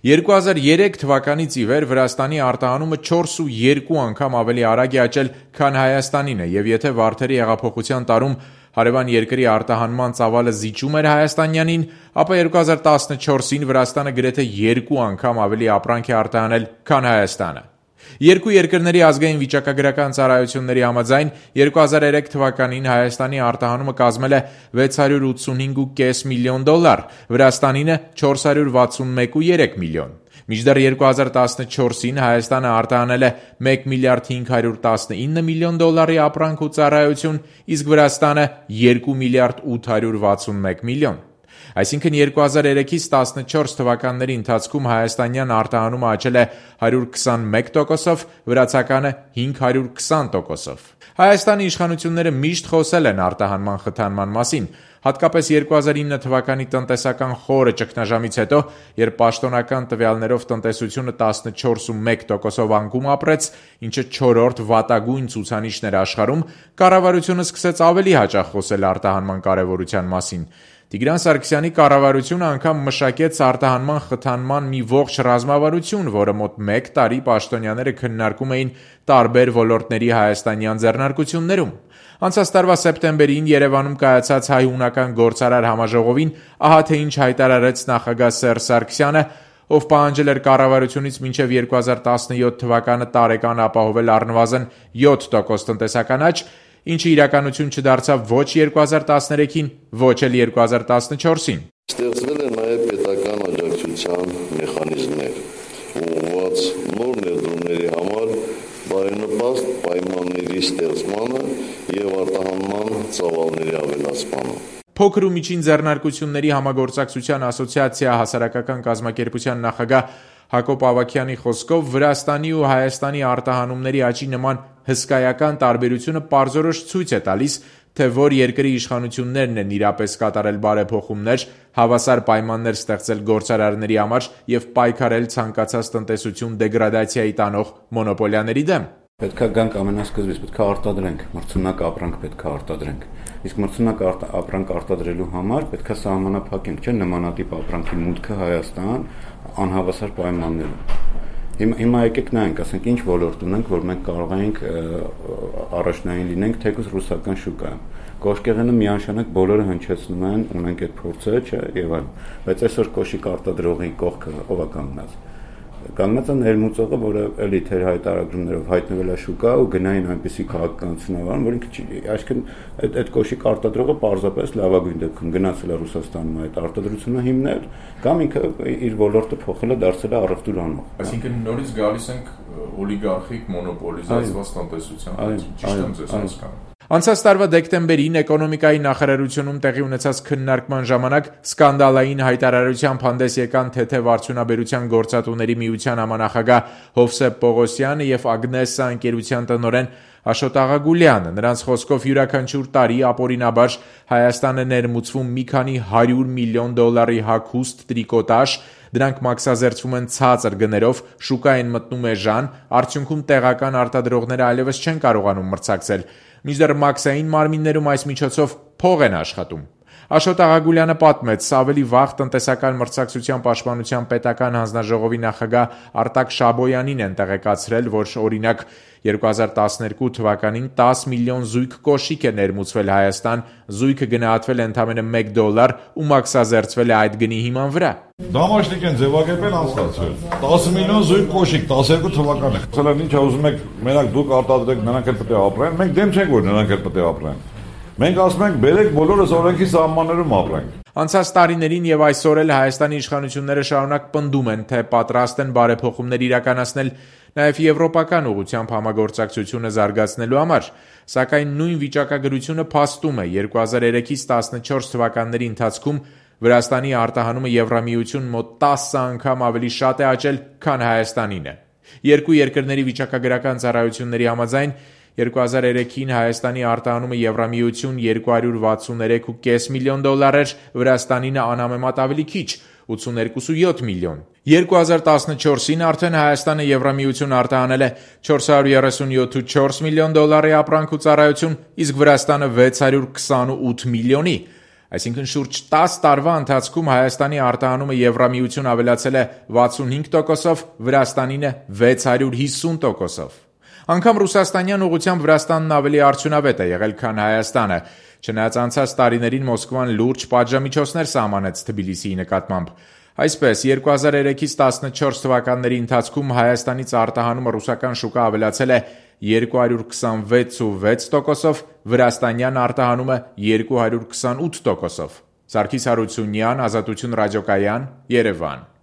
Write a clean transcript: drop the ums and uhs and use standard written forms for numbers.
2003 թվականից ի վեր Վրաստանի արտահանումը 4.2 անգամ ավելի արագ է աճել, քան Հայաստանինը, եւ եթե Վարդերի հեղափոխության տարում հարևան երկրի արտահանման ծավալը զիջում էր հայաստանյանին, ապա 2014-ին Վրաստանը գրեթե 2 անգամ ավելի ապրանք է արտահանել, քան Հայաստանը։ Երկու երկրների ազգային վիճակագրական ծառայությունների համաձայն 2003 թվականին Հայաստանի արտահանումը կազմել է $685.5 միլիոն, Վրաստանինը $461.3 միլիոն։ Մինչդեռ 2014-ին Հայաստանը արտահանել է $1.519 միլիոն ապրանք ու ծառայություն, իսկ Վրաստանը $2.861 միլիոն։ Այսինքն 2003-ից 14 թվականների ընթացքում հայաստանյան արտահանումը աճել է 121%, վրացականը 520%։ Հայաստանի իշխանությունները միշտ խոսել են արտահանման խթանման մասին, հատկապես 2009 թվականի տնտեսական խորը ճգնաժամից հետո, երբ պաշտոնական տվյալներով տնտեսությունը 14.1%-ով անկում ապրեց, ինչը 4-րդ վատագույն ցուցանիշն էր աշխարհում, կառավարությունը սկսեց ավելի հաճախ խոսել արտահանման կարևորության մասին։ Տիգրան Սարգսյանի կառավարությունը անգամ մշակեց արտահանման խթանման մի ողջ ռազմավարություն, որը մոտ 1 տարի պաշտոնյաները քննարկում էին տարբեր ոլորտների հայաստանյան ձեռնարկություններում։ Անցած տարվա սեպտեմբերին Երևանում կայացած հայ-հունական գործարար համաժողովին ահա թե ինչ հայտարարեց նախագահ Սերժ Սարգսյանը, ով պահանջել էր կառավարությունից մինչև 2017 թվականը տարեկան ապահովել առնվազն 7% տնտեսական աճ, ինչը իրականություն չդարձավ ոչ 2013-ին, ոչ էլ 2014-ին։ Ստեղծվել է նաև պետական աջակցության մեխանիզմներ, ուղղված նոր ներդրումների համար բարենպաստ պայմանների ստեղծմանը և արտահանման ծավալների ավելացմանը։ Փոքր ու միջին ձեռնարկությունների համագործակցության ասոցիացիա հասարակական կազմակերպության նախագահ Հակոբ Ավագյանի խոսքով Վրաստանի ու Հայաստանի արտահանումների աճի նման հսկայական տարբերությունը պարզորոշ ցույց է տալիս, թե որ երկրի իշխանություններն են իրապես կատարել բարեփոխումներ, հավասար պայմաններ ստեղծել գործարարների համար եւ պայքարել ցանկացած տնտեսություն դեգրադացիայի տանող մոնոպոլիաների դեմ։ Պետք է գանք ամենասկզբից, պետք է արտադրենք, մրցունակ ապրանք պետք է արտադրենք։ Իսկ մրցունակ ապրանք արտադրելու համար պետք է սահմանափակենք, չէ՞, նմանատիպ ապրանքի մուտքը Հայաստան անհավասար պայմաններում։ Հիմա եկեք նայենք, ասենք ինչ ոլորտ ունենք, որ մենք կարող ենք առաջնային լինենք թեկուզ ռուսական շուկայում։ Կոշկեղենը միանշանակ բոլորը հնչեցնում են, ունենք այդ փորձը, չէ, եւ այլն։ Բայց այսօր կոշիկ արտադրողի կողքը ով է կանգնած։ Կանգնած է ներմուծողը, որը էլի թեր հայտարարություններով հայտնվել է շուկա ու գնային այնպիսի քաղաքականությունավարում, որ ինքը այսինքն այդ կոշիկ արտադրողը պարզապես լավագույն դեպքում գնացել է Ռուսաստանում այդ արտադրությունը հիմնել, կամ ինքը իր ոլորտը փոխել է, դարձել է առևտուր անող։ Այսինքն նորից գալիս ենք օլիգարխիկ մոնոպոլիզացված տնտեսության, ճիշտ եմ ձեզ հասկանում։ Անցած տարվա դեկտեմբերին էկոնոմիկայի նախարարությունում տեղի ունեցած քննարկման ժամանակ սկանդալային հայտարարությամբ հանդես եկան թեթև արդյունաբերության գործատուների միության համանախագահ Հովսեփ Պողոսյանը եւ Ագնեսա ընկերության տնօրեն Աշոտ Աղագուլյանը։ Նրանց խոսքով յուրաքանչյուր տարի ապօրինաբար Հայաստանը ներմուծվում մի քանի $100 միլիոն հագուստ տրիկոտաժ, դրանք մաքսազերծվում են ցածր գներով, շուկա են մտնում էժան, արդյունքում տեղական արտադրողները այլևս չեն կարողանում մրցակցել։ Մինչդեռ մաքսային մարմիններում այս միջոցով փող են աշխատում։ Աշոտ Աղագուլյանը պատմեց, ավելի վաղ տնտեսական մրցակցության պաշտպանության պետական հանձնաժողովի նախագահ Արտակ Շաբոյանին են տեղեկացրել, որ օրինակ 2012 թվականին 10 միլիոն զույգ կոշիկ է ներմուծվել Հայաստան, զույգը գնահատվել է ընդամենը $1 ու մաքսազերծվել է այդ գնի հիման վրա։ Դամաշնիկ են ձևակերպել անցկացրել։ 10 միլիոն զույգ կոշիկ 12 թվականին։ Ասել են ինչ ուզում եք, մենակ դուք արտադրեք, նրանք էլ պետք է ապրեն։ Մենք դեմ չենք, որ նրանք էլ պետք է ապրեն։ Մենք ասում ենք, բերեք բոլորս օրենքի սահմաններում ապրենք։ Անցած տարիներին եւ այսօր էլ Հայաստանի իշխանությունները շարունակ պնդում են, թե պատրաստ են բարեփոխումներ իրականացնել նաեւ եվրոպական ուղղությամբ համագործակցությունը զարգացնելու համար, սակայն նույն վիճակագրությունը փաստում է 2003-ից 14 թվականների ընթացքում Վրաստանի արտահանումը Եվրամիություն մոտ 10 անգամ ավելի շատ է աճել, քան Հայաստանինը։ Երկու երկրների վիճակագրական ծառայությունների համաձայն 2003-ին Հայաստանի արտահանումը Եվրամիություն $263.5 միլիոն էր, Վրաստանինը անհամեմատ ավելի քիչ՝ 82.7 միլիոն։ 2014-ին արդեն Հայաստանը Եվրամիություն արտահանել է $437.4 միլիոն ապրանք ու ծառայություն, իսկ Վրաստանը 628 միլիոնի։ Այսինքն շուրջ 10 տարվա ընթացքում Հայաստանի արտահանումը Եվրամիություն ավելացել է 65%-ով, Վրաստանինը 650%-ով։ Անգամ ռուսաստանյան ուղղությամբ Վրաստանն ավելի արդյունավետ է եղել, քան Հայաստանը, չնայած անցած տարիներին Մոսկվան լուրջ պատժամիջոցներ սահմանեց Թբիլիսիի նկատմամբ։ Այսպես, 2003-ից 14 թվականների ընթացքում Հայաստանից արտահանումը ռուսական շուկա ավելացել է 226,6%-ով, վրաստանյան արտահանումը 228%-ով։ Սարգիս Հարությունյան, Ազատություն ռադիոկայան, Երևան։